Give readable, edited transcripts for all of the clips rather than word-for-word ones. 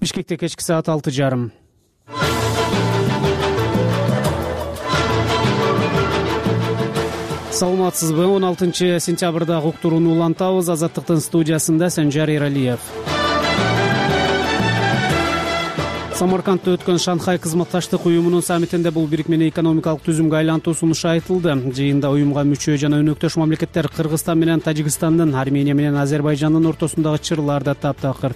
Бишкекте кечки саат 6:30. Саламатсызбы? 16-сентябрда уктурууну улантабыз. Азаттыктын студиясында Санжар Эралиев. Самаркандта өткөн Шанхай кызматташтык уюмунун саммитинде бул бирикмени экономикалык түзүмгө айлантуу сунушу айтылды. Жыйында уюмга мүчө жана өнөктөш мамлекеттер Кыргызстан менен Тажикстандын, Армения менен Азербайжандын ортосундагы чырлар да таптакыр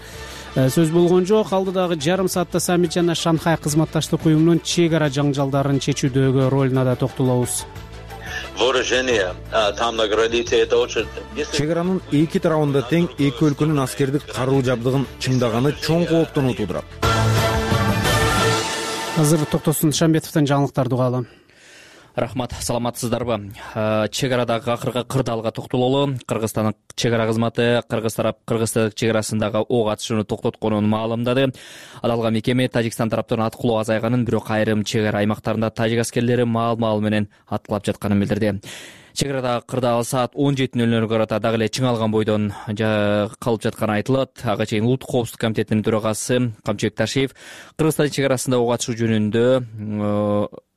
сөз болгон жок. Алдыдагы жарым саатта саммит жана Шанхай кызматташтык уюмунун чек ара жаңжалдарын чечүүдөгү ролуна да токтолобуз. Чек аранын эки тарабында тең эки өлкөнүн аскердик каруу жабдыгын чыңдаганы чоң кооптонуу туудурат. Азыр Токтосун Шамбетовдон жаңылыктарды угалы. Рахмат, саламатсыздарбы? Чек арадагы акыркы кырдаалга токтололу. Кыргызстандын чек ара кызматы Кыргыз тарап Кыргызстан чек арасындагы ок атышууну токтотконун маалымдады. Аталган мекеме Тажикстан тараптан аткылоо азайганын, бирок айрым чек ара аймактарында тажик аскерлери маал менен аткылап жатканын билдирди. Чек арадагы кырдаал саат 17:00 карата дагы эле чыңалган бойдон калып жатканы айтылат. Ага чейин Улуттук коопсуздук комитетинин төрагасы Камчыбек Ташиев Кыргызстан чек арасында ок атышуу жөнүндө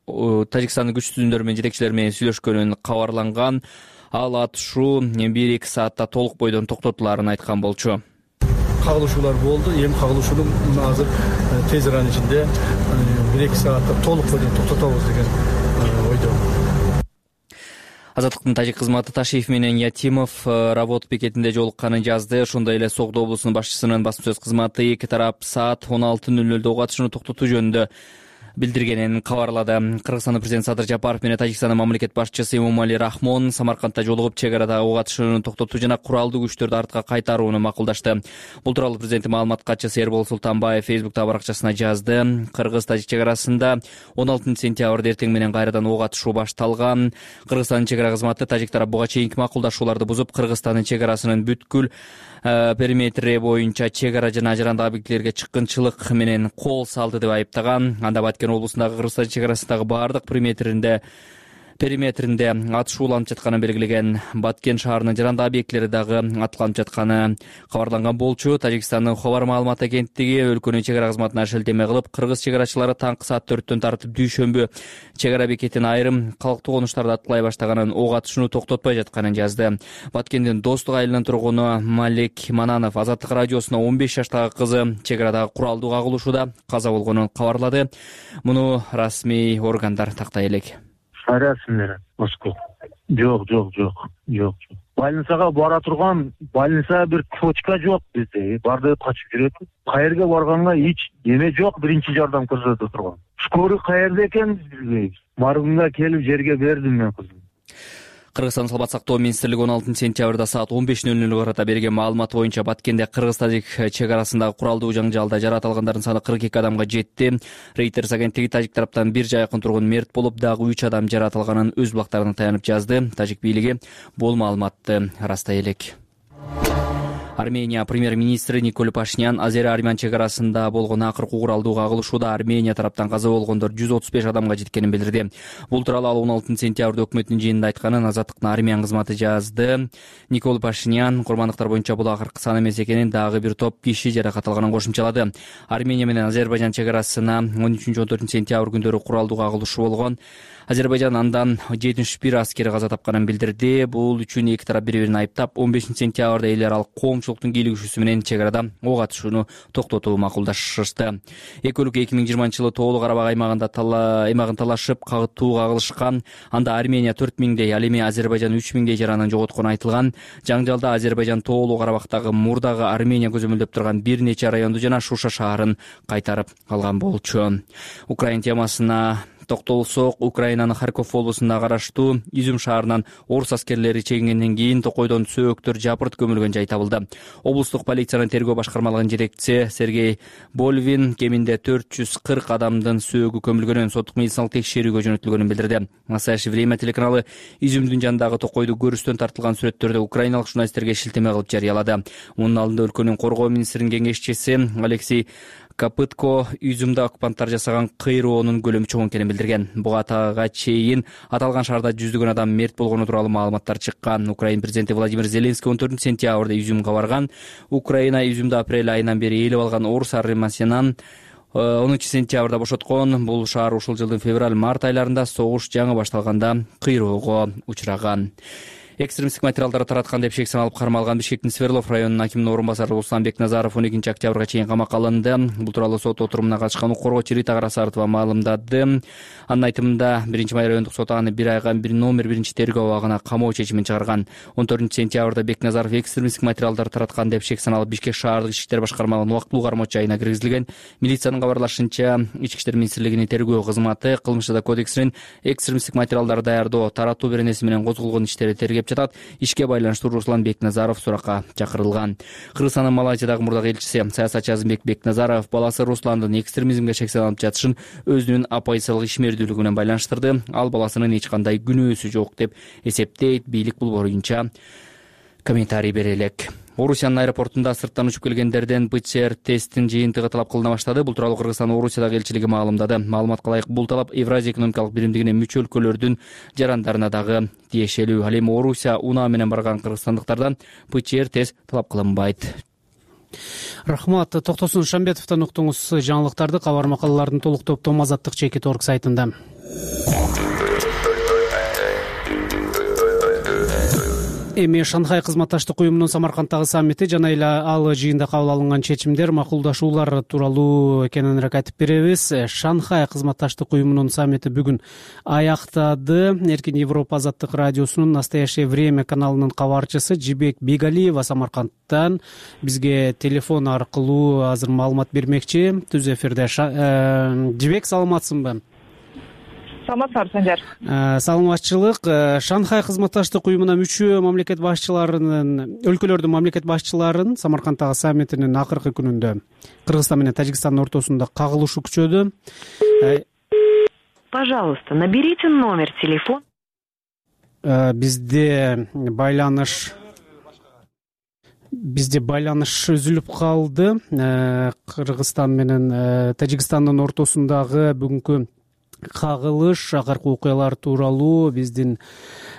Тажикстандын күч түзүмдөрү менен жетекчилери менен сүйлөшкөнүн кабарланган. Ал атышуу 1-2 саатта толук бойдон токтотуларын айткан болчу. Кагылышуулар болду. Эми кагылышууну азыр тез аранын ичинде 1-2 саатта толук бойдон токтотобуз деген ойдо. Азаттыктын тажик кызматы Ташиев менен Ятимов Работ бекетинде жолукканын жазды. Ошондой эле Согдо облусунун башчысынын басма сөз кызматы эки тарап саат 16:00 ок атышууну токтотуу жөнүндө билдиргенин кабарлады. Кыргызстандын президенти Садыр Жапаров менен Тажикстандын мамлекет башчысы Эмомали Рахмон Самаркандта жолугуп чек арадагы ок атышууну токтотуу жана куралдуу күчтөрдү артка кайтарууну макулдашты. Бул тууралуу президенттин маалымат катчысы Эрбол Султанбаев Фейсбуктагы баракчасына жазды. Кыргыз-Тажик чек арасында 16-сентябрда эртең менен кайрадан ок атышуу башталган. Кыргызстандын чек ара кызматы тажик тарап буга чейинки макулдашууларды бузуп, Кыргызстандын чек арасынын бүткүл периметри боюнча чек ара жана ажырандык объектилерге чыккынчылык менен кол салды деп айыптаган. Анда Баткен облусундагы Кыргызстан чек арасындагы баардык периметринде атышуу уланып жатканын белгилеген. Баткен шаарынын жарандык объектилери дагы атыланып жатканы кабарланган болчу. Тажикстандын Хабар маалымат агенттиги өлкөнүн чек ара кызматына шилтеме кылып, кыргыз чек арачылары таңкы саат 4-төн тартып дүйшөмбү чек ара бекетин айрым калктуу конуштарды аткылай баштаганын, ок атышууну токтотпой жатканын жазды. Баткендин Достук айылынын тургуну Малик Мананов Азаттык радиосуна 15 жаштагы кызы чек арадагы куралдуу кагылышууда каза болгонун кабарлады. Муну расмий органдар тактай элек. Расмилер Москва. Жок. Больницага бара турган, больница бир точка жок бизде. Барды качып жүрөт. Каерге барганга эч эме жок, биринчи жардам көрсөтө турган. Скорый каерде экен билбейбиз. Маргунга келип жерге бердим мен кызым. Кыргызстан саламат сактоо министрлиги 16-сентябрда саат 15:00 карата берген маалымат боюнча Баткенде Кыргыз-Тажик чек арасындагы куралдуу жаңжалда жарат алгандардын саны 42 адамга жетти. Reuters агенттиги Тажик тараптан бир жайкын тургун мерт болуп, дагы 3 адам жарат алганын өз булактарына таянып жазды. Тажик бийлиги бул маалыматты растай элек. Армения премьер-министри Никол Пашинян Азер-Армян чек арасында болгон акыркы куралдуу кагылышууда Армения тараптан каза болгондор 135 адамга жеткенин билдирди. Бул тууралуу ал 16-сентябрда өкмөттүн жыйынында айтканын Азаттыктын Армян кызматы жазды. Никол Пашинян курмандыктар боюнча бул акыркы сан эмес экенин, дагы бир топ киши жаракат алганын кошумчалады. Армения менен Азербайжан чек арасына 13-14-сентябрь күндөрү куралдуу кагылышуу болгон. Азербайжан андан 71 аскери каза тапканын билдирди. Бул үчүн эки тарап бири-бирин айыптап, 15-сентябрда эл аралык коомчулуктун кийлигишүүсү менен чек арада ок атышууну токтотууну макулдашышты. Эки өлкө 2020-жылы Тоолуу Карабак аймагын талашып, кагытуу кагылышкан. Анда Армения 4000дей, ал эми Азербайжан 3000дей жаранын жоготкону айтылган. Жаңжалда Азербайжан Тоолуу Карабактагы мурдагы Армения көзөмөлдөп турган бир нече районду жана Шуша шаарын кайтарып алган болчу. Украина темасына токтолсок, Украинанын Харьков облусуна караштуу Изюм шаарынан орус аскерлери чегингенден кийин токойдон сөөктөр жапырт көмүлгөн жай табылды. Облустук полициянын тергөө башкармалыгынын жетекчиси Сергей Больвин кеминде 440 адамдын сөөгү көмүлгөнүн, соттук медициналык текшерүүгө жөнөтүлгөнүн билдирди. Настоящее время телеканалы Изюмдун жанындагы токойду көрүстөн тартылган сүрөттөрдү украиналык журналисттерге шилтеме кылып жарыялады. Мунун алдында өлкөнүн коргоо министринин кеңешчиси Алексей Копытко Изюмда оккупанттар жасаган кыйроонун көлөмү чоң экенин билдирген. Буга чейин аталган шаарда жүздөгөн адам мерт болгону тууралуу маалыматтар чыккан. Украина президенти Владимир Зеленский 14-сентябрда Изюмга барган. Украина Изюмда апрель айынан бери ээлеп алган орус армиясынан 10-сентябрда бошоткон. Бул шаар ушул жылдын февраль-март айларында согуш жаңы башталганда кыйроого учураган. Экстремисттик материалдарды тараткан деп шек саналып кармалган Бишкектин Сверлов районунун акиминин орун басары Руслан Бекназаров 12-октябрга чейин камакка алынды. Бул тууралуу сот отурумуна катышкан укук коргоочу Рита Карасартова маалымдады. Анын айтымында 1-май райондук сот аны 1 айга номер 1-тергөө абагына камоо чечимин чыгарган. 14-сентябрда Бекназаров экстремисттик материалдарды тараткан деп шек саналып Бишкек шаардык ички иштер башкармалыгынын убактылуу кармоочу жайына киргизилген. Милициянын кабарлашынча, Ички иштер министрлигинин тергөө кызматы Кылмыш жада кодексинин экстремисттик материалдарды даярдоо, таратуу беренеси менен козголгон иштерди тергеп жатат. Ишке байланыштуу Руслан Бекназаров суракка чакырылган. Кыргызстандын Малайзиядагы мурдагы элчиси саясатчы Азымбек Бекназаров баласы Русландын экстремизмге шек салынып жатышын өзүнүн оппозициялык ишмердүүлүгү менен байланыштырды. Ал баласынын эч кандай күнөөсү жок деп эсептейт. Бийлик бул боюнча комментарий бере элек. Орусиянын аэропортунда сырттан учуп келгендерден ПЦР тесттин жыйынтыгы талап кылына баштады. Бул тууралуу Кыргызстандын Орусиядагы элчилиги маалымдады. Маалыматка ылайык бул талап Евразия экономикалык биримдигине мүчө өлкөлөрдүн жарандарына дагы тиешелүү. Ал эми Орусия унаа менен барган кыргызстандыктардан ПЦР тест талап кылынбайт. Рахмат. Токтосун Шамбетовдон уктуңуз жаңылыктарды. Кабар макалалардын толук топтому Азаттык Чекит.org сайтында. Эми Шанхай кызматташтык уюмунун Самарканддагы саммити жана эле ал жыйында кабыл алынган чечимдер, макулдашуулар тууралуу кененирээк айтып беребиз. Шанхай кызматташтык уюмунун саммити бүгүн аяктады. Эркин Европа азаттык радиосунун Настоящее время каналынын кабарчысы Жибек Бегалиева Самаркандтан бизге телефон аркылуу азыр маалымат бермекчи. Түз эфирде. Жибек, саламатсыңбы? Саламатсызбы, Санжар. Саламатчылык. Шанхай кызматташтык уюмуна мүчө мамлекет башчыларынын, өлкөлөрдүн мамлекет башчыларынын Самарканддагы саммитинин акыркы күнүндө Кыргызстан менен Тажикстандын ортосунда кагылышы күчөдү. Пожалуйста, наберите номер телефона. Бизде байланыш үзүлүп калды. Кыргызстан менен Тажикстандын ортосундагы бүгүнкү кагылыш, акыркы окуялар тууралуу биздин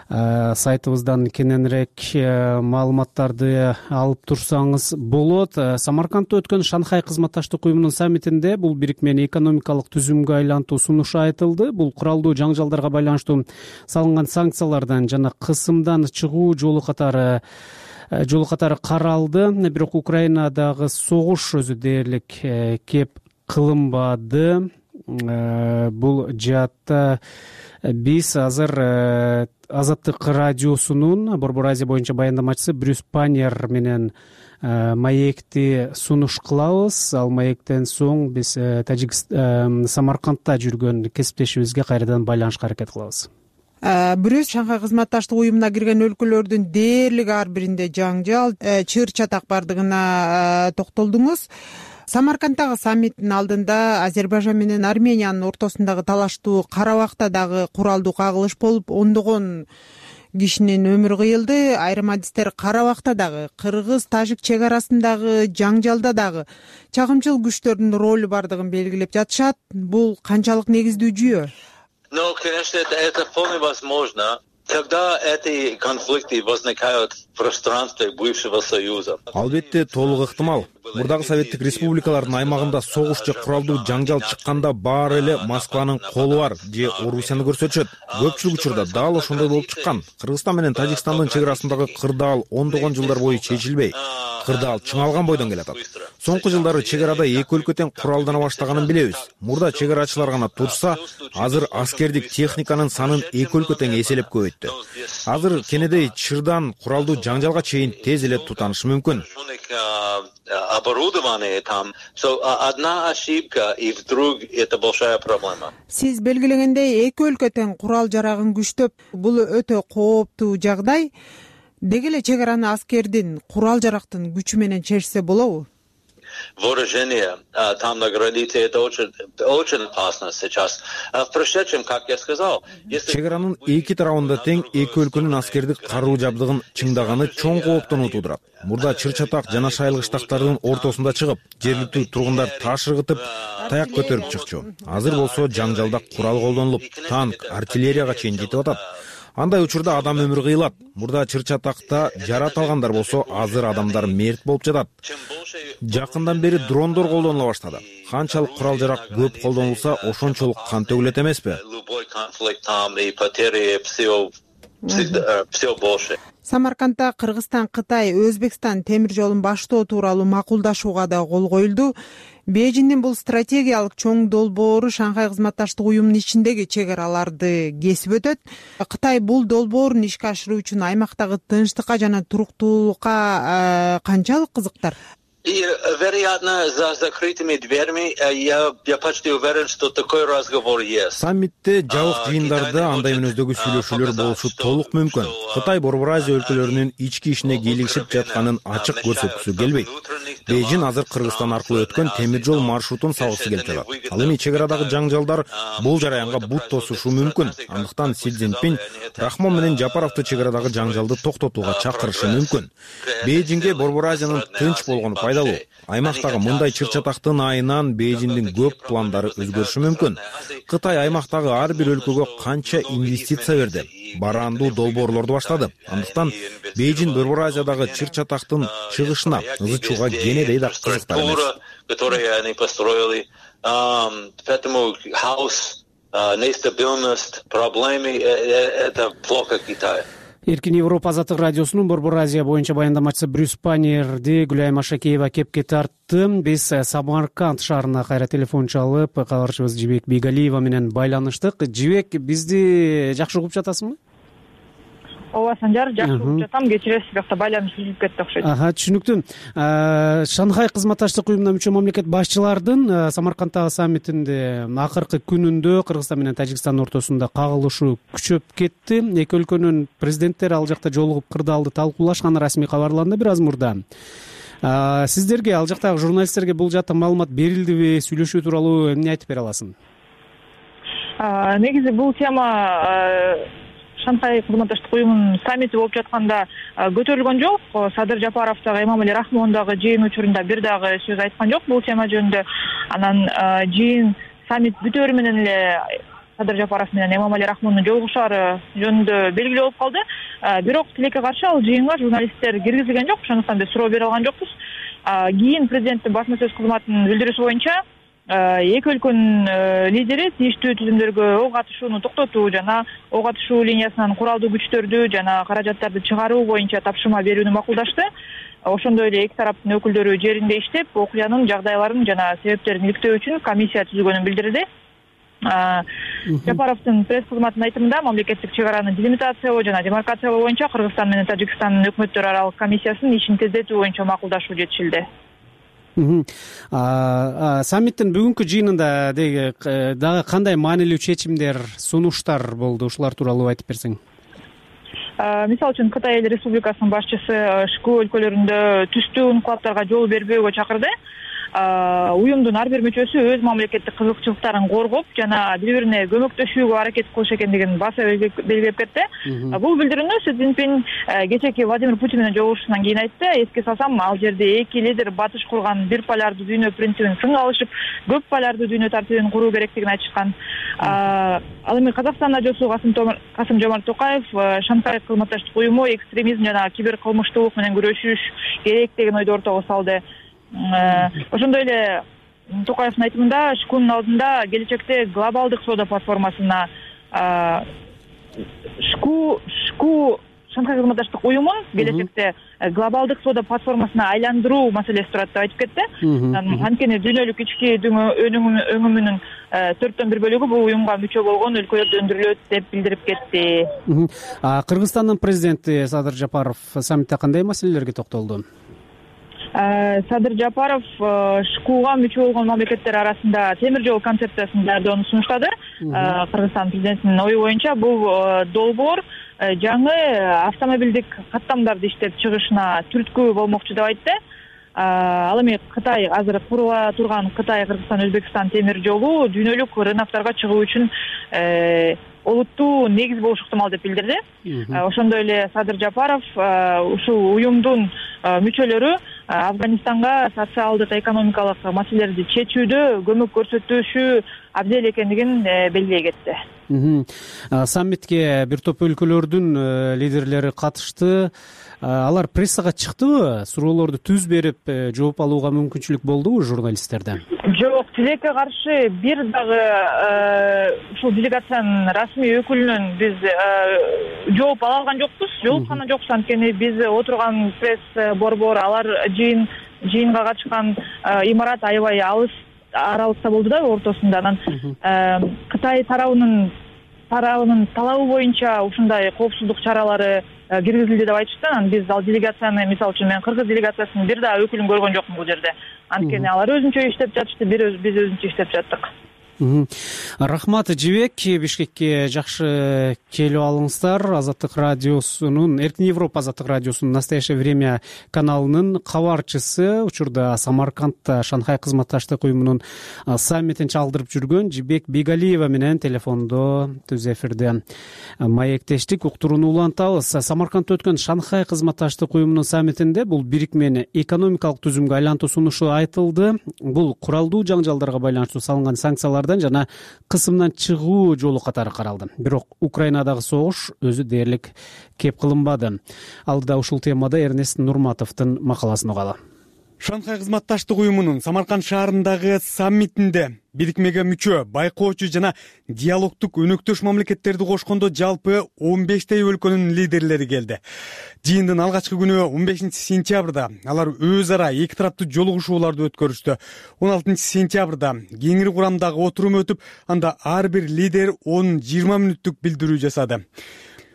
сайтыбыздан кененирээк маалыматтарды алып турсаңыз болот. Самаркандда өткөн Шанхай кызматташтык уюмунун саммитинде бул бирикмени экономикалык түзүмгө айлантуу сунушу айтылды. Бул куралдуу жаңжалдарга байланыштуу салынган санкциялардан жана кысымдан чыгуу жолу катары каралды. Бирок Украинадагы согуш өзү дээрлик кеп кылынбады. Бул жаатта биз азыр Азаттык радиосунун Борбор Азия боюнча баяндамачысы Брюс Панер менен маекти сунуш кылабыз. Ал маектен соң биз Самаркандда жүргөн кесиптешибизге кайрадан байланышка аракет кылабыз. Брюс, Шанхай кызматташтык уюмуна кирген өлкөлөрдүн дээрлик ар биринде жаңжал, чыр чатак бардыгына токтолдуңуз. Самарканддагы саммиттин алдында Азербайжан менен Армениянын ортосундагы талаштуу Карабакта дагы куралдуу кагылыш болуп, ондогон кишинин өмүрү кыйылды. Айрым адистер Карабакта дагы, кыргыз-тажик чек арасындагы жаңжалда дагы чагымчыл күчтөрдүн ролу бардыгын белгилеп жатышат. Бул канчалык негиздүү жүйө? Ну, конечно, это вполне возможно. Когда эти конфликты возникают в пространстве бывшего Союза. Албетте толук ыктымал. Мурдагы Советтик республикалардын аймагында согуш же куралдуу жаңжал чыкканда баары эле Москванын колу бар же Орусияны көрсөтүшөт. Көпчүлүк учурда дал ошондой болуп чыккан. Кыргызстан менен Тажикстандын чек арасындагы кырдаал ондогон жылдар бою чечилбей, кырдаал чыңалган бойдон келатат. Соңку жылдары чек арада эки өлкө тең куралдана баштаганын билебиз. Мурда чек арачылар гана турса, азыр аскердик техниканын санын эки өлкө тең эселеп көбөйттү. Азыр кенедей чырдан куралдуу жаңжалга чейин тез эле тутанышы мүмкүн. Оборудование там. Одна ошибка, и вдруг это большая проблема. Сиз белгилегендей эки өлкө тең курал жарагын күчтөп, бул өтө кооптуу жагдай. Деги эле чек араны аскердин, курал жарактын күчү менен чечсе болобу? вооружения там на границе, это очень опасно сейчас. Впрочем, как я сказал, чек аранын эки тарабында тең эки өлкөнүн аскердик каруу жабдыгын чыңдаганы чоң кооптону туудурат. Мурда чыр-чатак жана шайлык штаттардын ортосунда чыгып, жергиликтүү тургундар таш ыргытып, таяк көтөрүп чыкчу. Азыр болсо жаңжалда курал колдонулуп, танк, артиллерияга чейин жетип атат. Андай учурда адам өмүрү кыйылат. Мурда чыр-чатакта жарат алгандар болсо, азыр адамдар мерт болуп жатат. Жакындан бери дрондор колдонула баштады. Канчалык курал-жарак көп колдонулса, ошончолук кан төгүлөт эмеспи? Самаркандда Кыргызстан, Кытай, Өзбекстан темир жолун баштоо тууралуу макулдашууга да кол коюлду. Бейжиңдин бул стратегиялык чоң долбоору Шанхай кызматташтык уюмунун ичиндеги чек араларды кесип өтөт. Кытай бул долбоорун ишке ашыруу үчүн аймактагы тынчтыкка жана туруктуулукка канчалык кызыктар? И, вероятно, за закрытыми дверьми я почти уверен, что такой разговор есть. Саммитте жабык жыйындарда андай мүнөздөгү сүйлөшүүлөр болушу толук мүмкүн. Кытай Борбор Азия өлкөлөрүнүн ички ишине кийлигишип жатканын ачык көрсөткүсү келбейт. Бейжиң азыр Кыргызстан аркылуу өткөн темир жол маршрутун салгысы келип жатат. Ал эми чек арадагы жаңжалдар бул жараянга бут тосушу мүмкүн. Андыктан Си Цзиньпин Рахмон менен Жапаровду чек арадагы жаңжалды токтотууга чакырышы мүмкүн. Бейжиңге Борбор Азиянын тынч болгону пайдалуу. Аймактагы мындай чыр-чатактын айынан Бейжиңдин көп пландары өзгөрүшү мүмкүн. Кытай аймактагы ар бир өлкөгө канча инвестиция берди, бараандуу долбоорлорду баштады. Андыктан Бейжиң Борбор Азиядагы чыр-чатактын чыгышына ызычууга кенедей да кызыктар эмес. Которые они построили, поэтому хаос, нестабильность, проблемы это плохо Китаю. Эркин Европа азаттык радиосунун Борбор Азия боюнча баяндамачысы Брюс Панерди Гүлайым Ашакеева кепке тартты. Биз Самарканд шаарына кайра телефон чалып, кабарчыбыз Жибек Бейгалиева менен байланыштык. Жибек, бизди жакшы угуп жатасыңбы? Ооба, Санжар, жакшы угуп жатам. Кечиресиз, бияқта байланыш үзүлүп кетти окшойт. Түшүнүктүү. Шанхай кызматташтык уюмуна мүчө мамлекет башчылардын Самаркандтагы саммитинде акыркы күнүндө Кыргызстан менен Тажикстандын ортосунда кагылышуу күчөп кетти. Эки өлкөнүн президенттери ал жакта жолугуп кырдаалды талкуулашканы расмий кабарланды бир аз мурда. Сиздерге, ал жактагы журналисттерге бул жакта маалымат берилдиби? Сүйлөшүү тууралуу эмне айтып бере аласың? Негизи бул тема Шанхай кызматташтык уюмунун саммити болуп жатканда көтөрүлгөн жок. Садыр Жапаров дагы, Эмомали Рахмон дагы жыйын учурунда бир дагы сөз айткан жок бул тема жөнүндө. Анан жыйын саммит бүтөөрү менен эле Садыр Жапаров менен Эмомали Рахмондун жолугушаары жөнүндө белгилүү болуп калды. Бирок тилекке каршы ал жыйынга журналисттер киргизилген жок, ошондуктан биз суроо бере алган жокпуз. Кийин президенттин басма сөз кызматынын билдирүүсү боюнча эки өлкөнүн лидери тийиштүү түзүмдөргө ок атышууну токтотуу жана ок атышуу линиясынан куралдуу күчтөрдү жана каражаттарды чыгаруу боюнча тапшырма берүүнү макулдашты. Ошондой эле эки тараптын өкүлдөрү жеринде иштеп, окуянын жагдайларын жана себептерин иликтөө үчүн комиссия түзүлгөнүн билдирди. Жапаровдун пресс кызматынын айтымында мамлекеттик чек араны делимитациялоо жана демаркациялоо боюнча Кыргызстан менен Тажикстандын өкмөттөр аралык комиссиясынын ишин тездетүү боюнча макулдашуу жетишилди. Саммиттин бүгүнкү жыйынында дагы кандай маанилүү чечимдер, сунуштар болду? Ушулар тууралуу айтып берсең. Мисалы үчүн Кытай Эл Республикасынын башчысы ШКУ өлкөлөрүндө түстүү инкылаптарга жол бербөөгө чакырды. Уюмдун ар бир мүчөсү өз мамлекеттик кызыкчылыктарын коргоп жана бири-бирине көмөктөшүүгө аракет кылыш экендигин баса белгилеп кетти. Бул билдирүүнү Си Цзиньпин кечээки Владимир Путин менен жолугушуусунан кийин айтты. Эске салсам, ал жерде эки лидер батыш курган бир полярдуу дүйнө принцибин сынга алышып, көп полярдуу дүйнө тартибин куруу керектигин айтышкан. Ал эми Казакстанда жосу Касым-Жомарт Токаев Шанхай кызматташтык уюму экстремизм жана киберкылмыштуулук менен күрөшүш керек деген ойду ортого салды. Ошондой эле Токаевдин айтымында ШКУнун алдында келечекте глобалдык соода платформасына ШКУ Шанхай кызматташтык уюмун келечекте глобалдык соода платформасына айландыруу маселеси турат деп айтып кетти. Анткени дүйнөлүк ички өңүмүнүн 4/1 бөлүгү бул уюмга мүчө болгон өлкөлөрдө өндүрүлөт деп билдирип кетти. Кыргызстандын президенти Садыр Жапаров саммитте кандай маселелерге токтолду? Садыр Жапаров ШКУга мүчө болгон мамлекеттер арасында темир жол концепциясын даярдоону сунуштады. Кыргызстан президентинин ою боюнча бул долбоор жаңы автомобилдик каттамдарды иштеп чыгышына түрткү болмокчу деп айтты. ал эми Кытай азыр курула турган Кытай Кыргызстан Өзбекстан темир жолу дүйнөлүк рынокторго чыгуу үчүн олуттуу негиз болушу ыктымал деп билдирди. Ошондой эле Садыр Жапаров ушул уюмдун мүчөлөрү Афганистанга социалдык экономикалык маселелерди чечүүдө көмөк көрсөтүшү абдел экендигин белгилей кетти. Саммитке бир топ өлкөлөрдүн лидерлери катышты. Алар прессага чыктыбы? Суроолорду түз берип, жооп алууга мүмкүнчүлүк болдубу журналисттерден? Жок, тилекке каршы бир дагы ушул делегациянын расмий өкүлүнөн биз жооп ала алган жокпуз, жолуккан жокпуз. Анткени биз отурган пресс борбор, алар жыйынга катышкан имарат аябай алыс аралыкта болду да, ортосунда. Анан Кытай тарабынын талабы боюнча ушундай коопсуздук чаралары киргизилди деп айтышты. Анан биз ал делегацияны, мисалы үчүн мен кыргыз делегациясынын бир дагы өкүлүн көргөн жокмун бул жерде. Анткени алар өзүнчө иштеп жатышты, биз өзүнчө иштеп жаттык. Рахмат, Жибек. Бишкекке жакшы келип алыңыздар. Азаттык радиосунун, Эркин Европа Азаттык радиосунун Настоящее время каналынын кабарчысы, учурда Самаркандта Шанхай кызматташтык уюмунун саммитин чалдырып жүргөн Жибек Бегалиева менен телефондо түз эфирде маектештик. Уктурууну улантабыз. Самаркандта өткөн Шанхай кызматташтык уюмунун саммитинде бул бирикмени экономикалык түзүмгө айлантуу сунушу айтылды. Бул куралдуу жаңжалдарга байланыштуу салынган санкциялар жана кысымдан чыгуу жолу катары каралды. Бирок Украинадагы согуш өзү дээрлик кеп кылынбады. Алдыда ушул темада Эрнест Нурматовдун макаласын угалы. Шанхай кызматташтык уюмунун Самарканд шаарындагы саммитинде бирикмеге мүчө, байкоочу жана диалогтук өнөктөш мамлекеттерди кошкондо жалпы 15 өлкөнүн лидерлери келди. Жыйындын алгачкы күнү 15 сентябрда алар өз ара эки тараптуу жолугушууларды өткөрүштү. 16 сентябрда кеңири курамдагы отурум өтүп, анда ар бир лидер 10-20 мүнөттүк билдирүү жасады.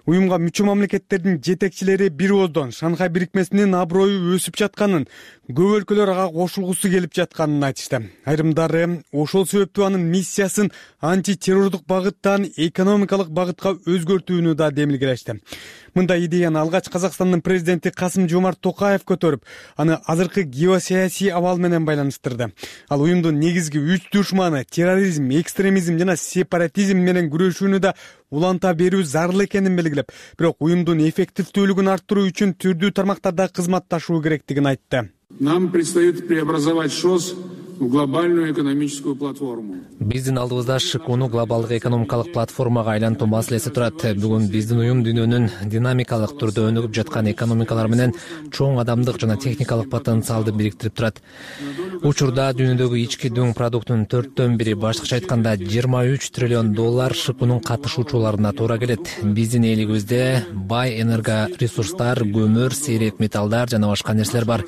Уюмга мүчө мамлекеттердин жетекчилери бир ооздон Шанхай бирикмесинин аброю өсүп жатканын, көп өлкөлөр ага кошулгусу келип жатканын айтышты. Айрымдары ошол себептүү анын миссиясын антитеррордук багыттан экономикалык багытка өзгөртүүнү да демилгелешти. Мындай идеяны алгач Казакстандын президенти Касым-Жомарт Токаев көтөрүп, аны азыркы геосаясий абал менен байланыштырды. Ал уюмдун негизги 3 душманы терроризм, экстремизм жана сепаратизм менен күрөшүүнү да уланта берүү зарыл экенин белгилеп, бирок уюмдун эффективдүүлүгүн арттыруу үчүн түрдүү тармактарда кызматташуу керектигин айтты. Нам предстоит преобразовать ШОС в глобальную экономическую платформу. Биздин алдыбызда ШКУну глобалдык экономикалык платформага айлантуу маселеси турат. Бүгүн биздин уюм дүйнөнүн динамикалык түрдө өнүгүп жаткан экономикалар менен чоң адамдык жана техникалык потенциалды бириктирип турат. Учурда дүйнөдөгү ички дүң продуктунун 4/1, башкача айтканда $23 триллион ШКУнун катышуучуларына туура келет. Биздин элибизде бай энергоресурстар, көмүр, сейрек металлдар жана башка нерселер бар.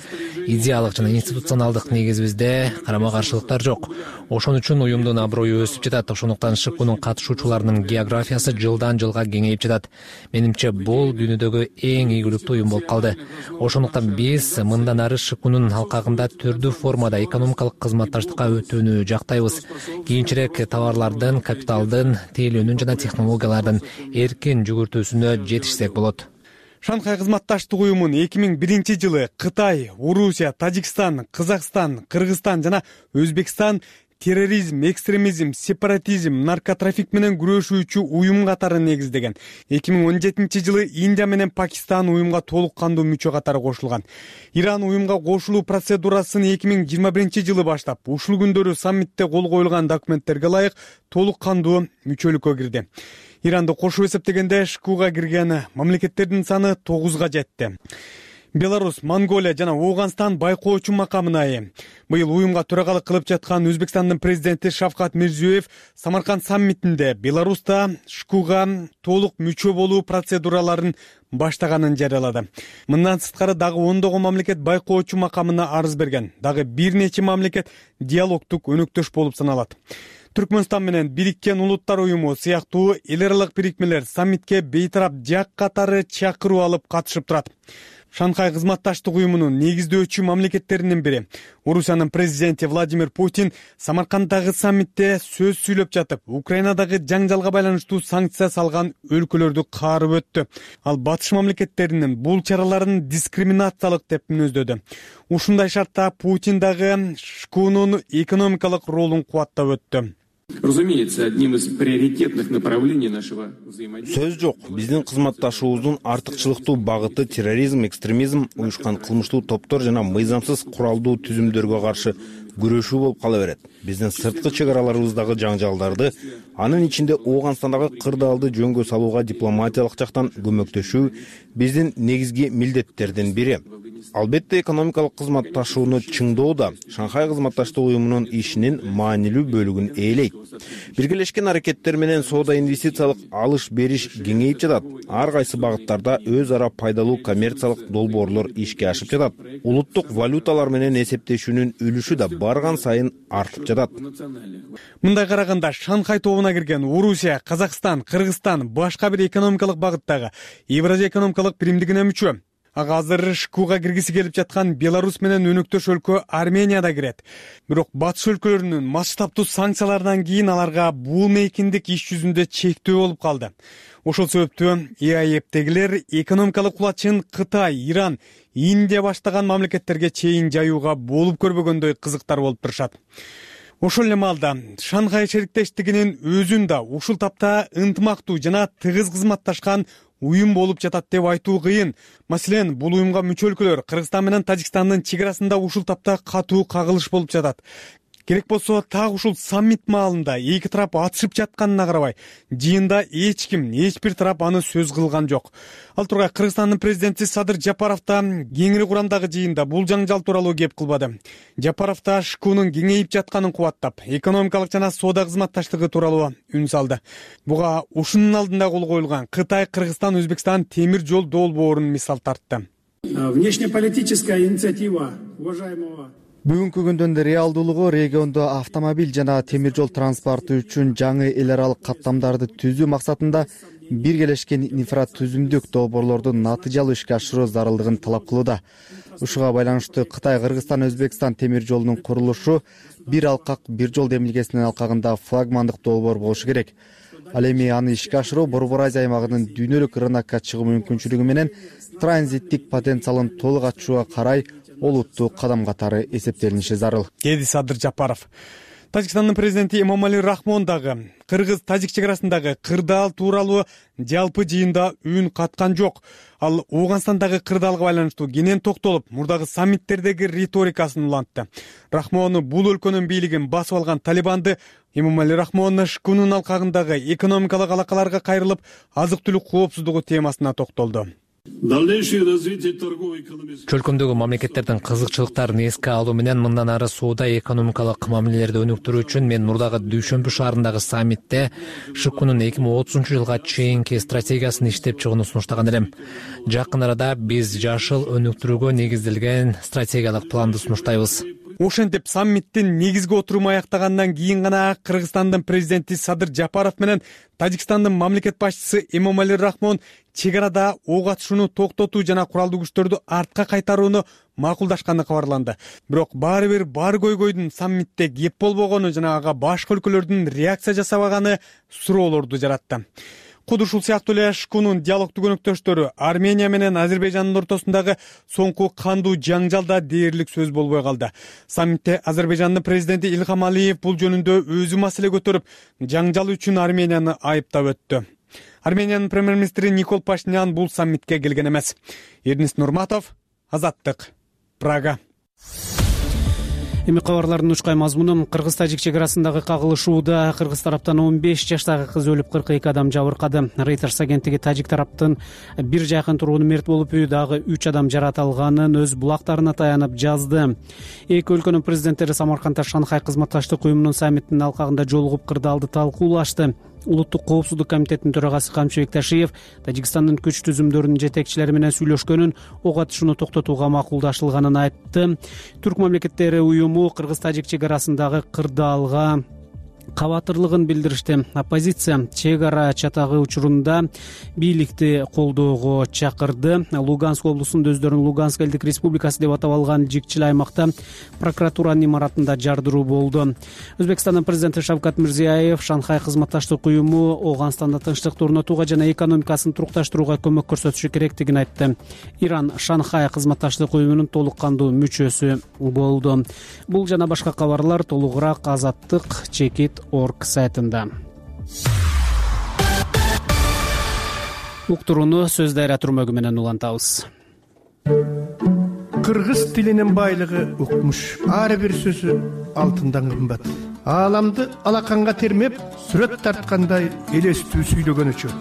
Идеалык жана институционалдык негизибизде карама каршылыктар жок. Ошон үчүн уюмдун аброю өсүп жатат. Ошондуктан ШКУнун катышуучуларынын географиясы жылдан жылга кеңейип жатат. Менимче бул дүйнөдөгү эң ийгиликтүү уюм болуп калды. Ошондуктан биз мындан ары ШКУнун алкагында түрдүү формада экономикалык кызматташтыкка өтүүнү жактайбыз. Кийинчерээк товарлардын, капиталдын, тейлөөнүн жана технологиялардын эркин жүгүртүүсүнө жетишсек болот. Шанхай кызматташтык уюмун 2001 жылы Кытай, Орусия, Тажикстан, Казакстан, Кыргызстан жана Өзбекстан терроризм, экстремизм, сепаратизм, наркотрафик менен күрөшүүчү уюм катары негиздеген. 2017 жылы Индия менен Пакистан уюмга толук кандуу мүчө катары кошулган. Иран уюмга кошулуу процедурасын 2021 жылы баштап, ушул күндөрү саммитте кол коюлган документтерге ылайык толук кандуу мүчөлүккө кирди. Иранды кошуп эсептегенде ШКУга кирген мамлекеттердин саны 9га жетти. Беларусь, Монголия жана Ооганстан байкоочу макамына ээ. Быйыл уюмга төрагалык кылып жаткан Өзбекстандын президенти Шавкат Мирзиёев Самарканд саммитинде Беларуста ШКУга толук мүчө болуу процедураларын баштаганын жарыялады. Мындан сырткары дагы ондогон мамлекет байкоочу макамына арыз берген. Дагы бир нече мамлекет диалогтук өнөктөш болуп саналат. Түркмөнстан менен Бириккен Улуттар уюму сыяктуу эл аралык бирикмелер саммитке бейтарап жак катары чакыруу алып катышып турат. Шанхай кызматташтык уюмунун негиздөөчү мамлекеттеринин бири Орусиянын президенти Владимир Путин Самарканддагы саммитте сөз сүйлөп жатып, Украинадагы жаңжалга байланыштуу санкция салган өлкөлөрдү каарып өттү. Ал батыш мамлекеттеринин бул чараларын дискриминациялык деп мүнөздөдү. Ушундай шартта Путин дагы ШКУнун экономикалык ролун кубаттап өттү. Разумеется, одним из приоритетных направлений нашего взаимодействия. Сөз жок, биздин кызматташуубуздун артыкчылыктуу багыты терроризм, экстремизм, уюшкан кылмыштуу топтор жана мыйзамсыз куралдуу түзүмдөргө каршы күрөшүү болуп кала берет. Биздин сырткы чек араларыбыздагы жаңжалдарды, анын ичинде Ооганстандагы кырдаалды жөнгө салууга дипломатиялык жактан көмөктөшүү биздин негизги милдеттердин бири. Албетте, экономикалык кызматташууну чыңдоо да Шанхай кызматташтык уюмунун ишинин маанилүү бөлүгүн ээлейт. Биргелешкен аракеттер менен соода инвестициялык алыш-бериш кеңейип жатат. Ар кайсы багыттарда өз ара пайдалуу коммерциялык долбоорлор ишке ашып жатат. Улуттук валюталар менен эсептешүүнүн үлүшү да барган сайын артып жатат. Мындай караганда Шанхай тобуна кирген Орусия, Казакстан, Кыргызстан башка бир экономикалык багыттагы Евразия экономикалык биримдигине мүчө. Ага азыр ШКУга киргиси келип жаткан Беларусь менен өнөктөш өлкө Армения да кирет. Бирок батыш өлкөлөрүнүн масштабтуу санкцияларынан кийин аларга бул мейкиндик иш жүзүндө чектөө болуп калды. Ошол себептен ЕАЭптегилер экономикалык кулачын Кытай, Иран, Индия баштаган мамлекеттерге чейин жаюуга болуп көрбөгөндөй кызыктар болуп турушат. Ошол эле маалда Шанхай шериктештигинин өзүн да ушул тапта ынтымактуу жана тыгыз кызматташкан уюм болуп жатат деп айтуу кыйын. Маселен, бул уюмга мүчө өлкөлөр Кыргызстан менен Тажикстандын чек арасында ушул тапта катуу кагылыш болуп жатат. Керек болсо так ушул саммит маалында эки тарап атышып жатканына карабай, жыйында эч ким, эч бир тарап аны сөз кылган жок. Ал тургай Кыргызстандын президенти Садыр Жапаров да кеңири курамдагы жыйында бул жаңжал тууралуу кеп кылбады. Жапаров да ШКУнун кеңейип жатканын кубаттап, экономикалык жана соода кызматташтыгы тууралуу үн салды. Буга ушунун алдында кол коюлган Кытай, Кыргызстан, Өзбекстан темир жол долбоорун мисал тартты. Внешнеполитическая инициатива уважаемого Бүгүнкү күндүн реалдуулугу региондо автомобиль жана темир жол транспорту үчүн жаңы эл аралык каттамдарды түзүү максатында биргелешкен инфратүзүмдүк долбоорлордун натыйжалуу ишке ашыруу зарылдыгын талап кылууда. Ушуга байланыштуу Кытай, Кыргызстан, Өзбекстан темир жолунун курулушу бир алкак, бир жол демилгесинин алкагында флагмандык долбоор болушу керек. Ал эми аны ишке ашыруу Борбор Азия аймагынын дүйнөлүк рынокко чыгуу мүмкүнчүлүгү менен транзиттик потенциалын толук ачууга карай олуттуу кадам катары эсептелиниши зарыл, деди Садыр Жапаров. Тажикстандын президенти Эмомали Рахмон дагы Кыргыз-Тажик чек арасындагы кырдаал тууралуу жалпы жыйында үн каткан жок. Ал Ооганстандагы кырдаалга байланыштуу кенен токтолуп, мурдагы саммиттердеги риторикасын улантты. Рахмон бул өлкөнүн бийлигин басып алган Талибанды Эмомали Рахмон ШКУнун алкагындагы экономикалык алакаларга кайрылып, азык-түлүк коопсуздугу темасына токтолду. Чөлкөмдөгү мамлекеттердин кызыкчылыктарын эске алуу менен мындан ары соода экономикалык мамилелерди өнүктүрүү үчүн мен мурдагы Дүйшөмбү шаарындагы саммитте ШКУнун 2030-жылга чейинки стратегиясын иштеп чыгууну сунуштаган элем. Жакын арада биз жашыл өнүктүрүүгө негизделген стратегиялык планды сунуштайбыз. Ошентип саммиттин негизги отуруму аяктагандан кийин гана Кыргызстандын президенти Садыр Жапаров менен Тажикстандын мамлекет башчысы Эмомали Рахмон чек арада ок атышууну токтотуу жана куралдуу күчтөрдү артка кайтарууну макулдашканы кабарланды. Бирок баары бир бар көйгөйдүн саммитте кеп болбогону жана ага башка өлкөлөрдүн реакция жасабаганы суроолорду жаратты. Куд ушул сыяктуу эле ШКУнун диалогдук өнөктөштөрү Армения менен Азербайжандын ортосундагы соңку кандуу жаңжалда дээрлик сөз болбой калды. Саммитте Азербайжандын президенти Илхам Алиев бул жөнүндө өзү маселе көтөрүп, жаңжал үчүн Арменияны айыптап өттү. Армениянын премьер-министри Никол Пашинян бул саммитке келген эмес. Эрнис Нурматов, Азаттык, Прага. Эми кабарлардын учкай мазмуну: Кыргыз-Тажик чек арасындагы кагылышууда кыргыз тараптан 15 жаштагы кыз өлүп, 42 адам жабыркады. Reuters агенттиги Тажик тараптын бир жакын тургуну мерт болуп, дагы 3 адам жаракат алганын өз булактарына таянып жазды. Эки өлкөнүн президенттери Самаркандда Шанхай кызматташтык уюмунун саммитинин алкагында жолугуп кырдаалды талкуулашты. Улуттук коопсуздук комитетинин төрагасы Камчыбек Ташиев Тажикстандын күч түзүмдөрүнүн жетекчилери менен сүйлөшкөнүн, ок атышууну токтотууга макулдашылганын айтты. Түрк мамлекеттери уюму Кыргыз-Тажик чек арасындагы кырдаалга кабатырлыгын билдиришти. Оппозиция чек ара чатагы учурунда бийликти колдоого чакырды. Луганск облусунда өздөрүн Луганск элдик республикасы деп атап алган жикчил аймакта прокуратуранын имаратында жардыруу болду. Өзбекстандын президенти Шавкат Мирзиёев Шанхай кызматташтык уюму Ооганстанда тынчтыкты орнотууга жана экономикасын турукташтырууга көмөк көрсөтүшү керектигин айтты. Иран Шанхай кызматташтык уюмунун толук кандуу мүчөсү болду. Бул жана башка кабарлар толугураак Азаттык Чекит.org сайтында. Уктурууну сөз дайра түрмөгү менен улантабыз. Кыргыз тилинин байлыгы укмуш. Ар бир сөзү алтындан кымбат. Ааламды алаканга термеп, сүрөт тарткандай элестүү сүйлөгөнүчү.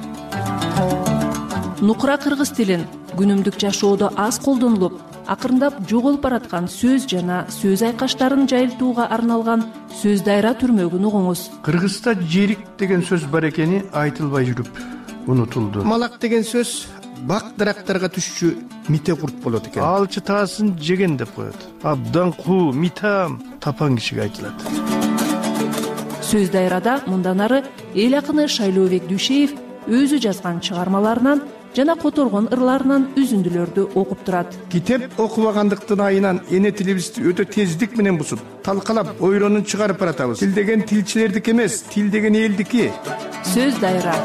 Нукура кыргыз тилин күнүмдүк жашоодо аз колдонулуп, акырындап жоголуп бараткан сөз жана сөз айкаштарын жайылтууга арналган сөз дайра түрмөгүн угуңуз. Кыргызда жерик деген сөз бар экени айтылбай жүрүп унутулду. Малак деген сөз бак дарактарга түшчү мите курт болот экен. Алчы таасын жеген деп коет. Абдан куу, митам тапан кишиге айтылат. Сөз дайрада мындан ары эл акыны Шайлообек Дүйшеев өзү жазган чыгармаларынан жана которгон ырларынан үзүндүлөрдү окуп турат. Китеп окубагандыктын айынан эне тилибизди өтө тездик менен бузуп, талкалап, ойронун чыгарып баратабыз. Тил деген тилчилердики эмес, тил деген элдики. Сөз дайра.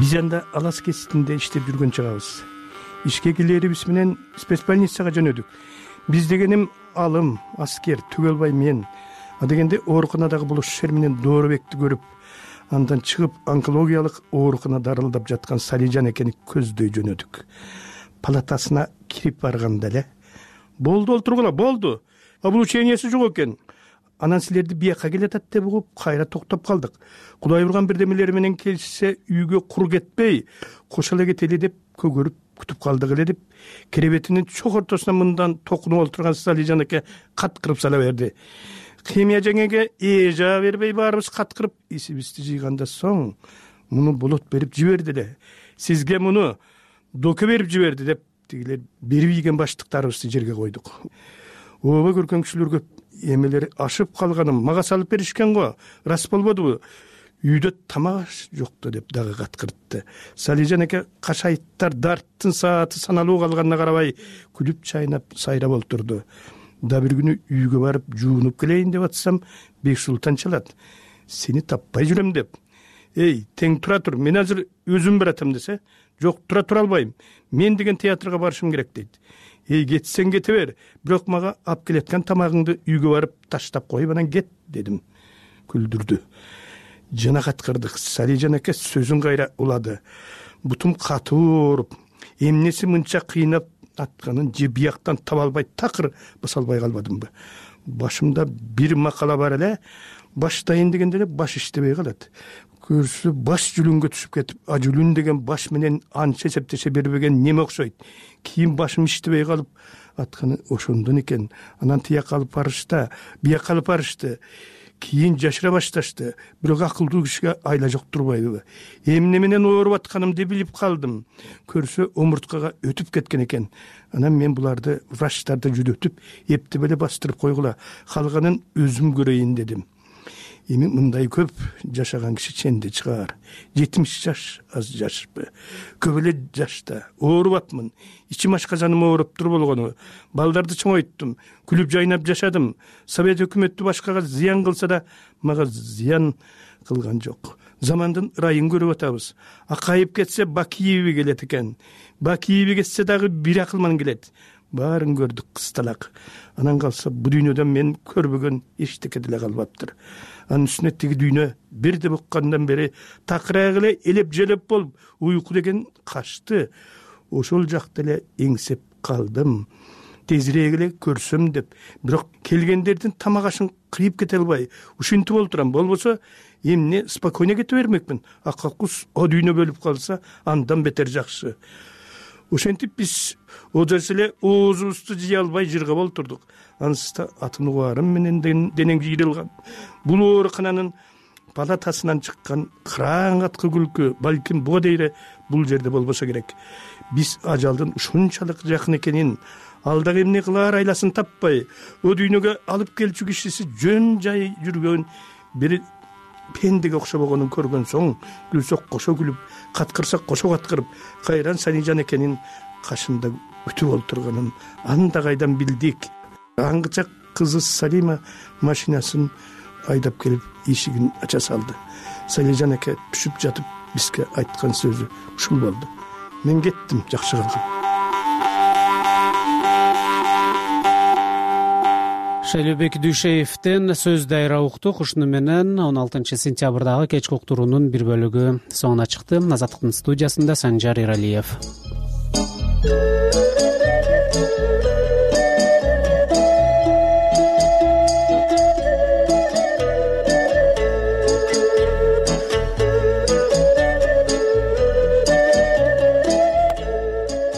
Биз анда Алас кеситинде иштеп жүргөн чагыбыз. Ишке келерибиз менен спецбольницага жөнөдүк. Биз дегеним алым, аскер, Түгөлбай мен. Дегенде ооруканадагы булушер менен Доорбекти көрүп, андан чыгып онкологиялык оорукана дарылдап жаткан Салижан экени көздөй жөнөдүк. Палатасына кирип барганда эле болду, олтургула, болду. Облучениясы жок экен. Анан силерди бияка келатат деп угуп, кайра токтоп калдык. Кудай урган бирдемелери менен келишсе, үйгө кур кетпей, кошо эле кетели деп көгөрүп күтүп калдык эле деп, керебетинин чок ортосуна мындан токунуп олтурган Салижан эке каткырып сала берди. Химия жеңеге жаа бербей баарыбыз каткырып, исибизди жыйгандан соң муну болот берип жиберди эле. Сизге муну доке берип жиберди деп, тигилер берип ийген баштыктарыбызды жерге койдук. Ооба көргөн кишилерге эмелери ашып калганым мага салып беришкен го, рас болбодубу? Үйдө тамак жок да деп дагы каткыртты. Салижан эке кашайттар дарттын сааты саналуу калганына карабай күлүп чайнап сайрап олтурду. Да бир күнү үйгө барып жуунуп келейин деп атсам, Бексултан чалат. Сени таппай жүрөм деп. Эй, тең тура тур, мен азыр өзүм баратам десе, жок, тура албайм. Мен деген театрга барышым керек дейт. Эй, кетсең кете бер, бирок мага ап келеткан тамагыңды үйгө барып таштап коюп анан кет дедим. Күлдүрдү. Жана каткырдык. Салижан эке сөзүн кайра улады. Бутум катуу ооруп, эмнеси мынча кыйнап атканын же бияктан таба албай такыр баса албай калбадымбы? Башымда бир макала бар эле, баштайын дегенде эле баш иштебей калат. Көрсө баш жүлүнгө түшүп кетип, жүлүн деген баш менен анча эсептеше бербеген неме окшойт. Кийин башым иштебей калып атканы ошондон экен. Анан тияк алып барышты, бияк алып барышты. Кийин жашыра башташты. Бирок акылдуу кишиге айла жок турбайбы? Эмне менен ооруп атканымды билип калдым. Көрсө омурткага өтүп кеткен экен. Анан мен буларды врачтарды жүдөтүп, эптеп эле бастырып койгула. Калганын өзүм көрөйүн дедим. Эми мындай көп жашаган киши ченде чыгар. 70 жаш аз жашпы. Көп эле жашта оорубапмын. Ичим ашказаным ооруптур болгону. Балдарды чоңойттум. Күлүп жайнап жашадым. Совет өкмөтү башкага зыян кылса да, мага зыян кылган жок. Замандын ырайын көрүп атабыз. Акайып кетсе Бакиеви келет экен. Бакиеви кетсе дагы бир акылман келет. Баарын көрдүк кысталак. Анан калса бу дүйнөдөн мен көрбөгөн эчтеке деле калбаптыр. Анын үстүнө тиги дүйнө бирде буккандан бери такырак эле элеп желеп болуп, уйку деген качты. Ошол жакта эле эңсеп калдым. Тезирээк эле көрсөм деп, бирок келгендердин тамак ашын кыйып кете албай, ушинтип олтурам. Болбосо эмне спокойно кете бермекмин. Акакус о дүйнө бөлүп калса, андан бетер жакшы. Ошентип биз одос эле оозубузду жыя албай жыргап олтурдук. Анысында атын угарым менен денең жыйрылган. Бул оорукананын палатасынан чыккан кырааң аткы күлкү, балким буга дейре бул жерде болбосо керек. Биз ажалдын ушунчалык жакын экенин, ал дагы эмне кылаар айласын таппай, о дүйнөгө алып келчү кишиси жөн жай жүргөн бир пендеге окшобогонун көргөн соң, күлсөк кошо күлүп, каткырсак кошо каткырып, кайран Санижан экенин кашында күтүп олтурганын анда кайдан билдик. Аңгыча кызы Салима машинасын айдап келип эшигин ача салды. Санижан эке түшүп жатып бизге айткан сөзү ушул болду: мен кеттим, жакшы калгын. Шайлообек Дүйшеевден сөз дайра уктук. Ушуну менен 16 сентябрдагы кечки уктуруунун бир бөлүгү соңуна чыкты. Азаттыктын студиясында Санжар Эралиев.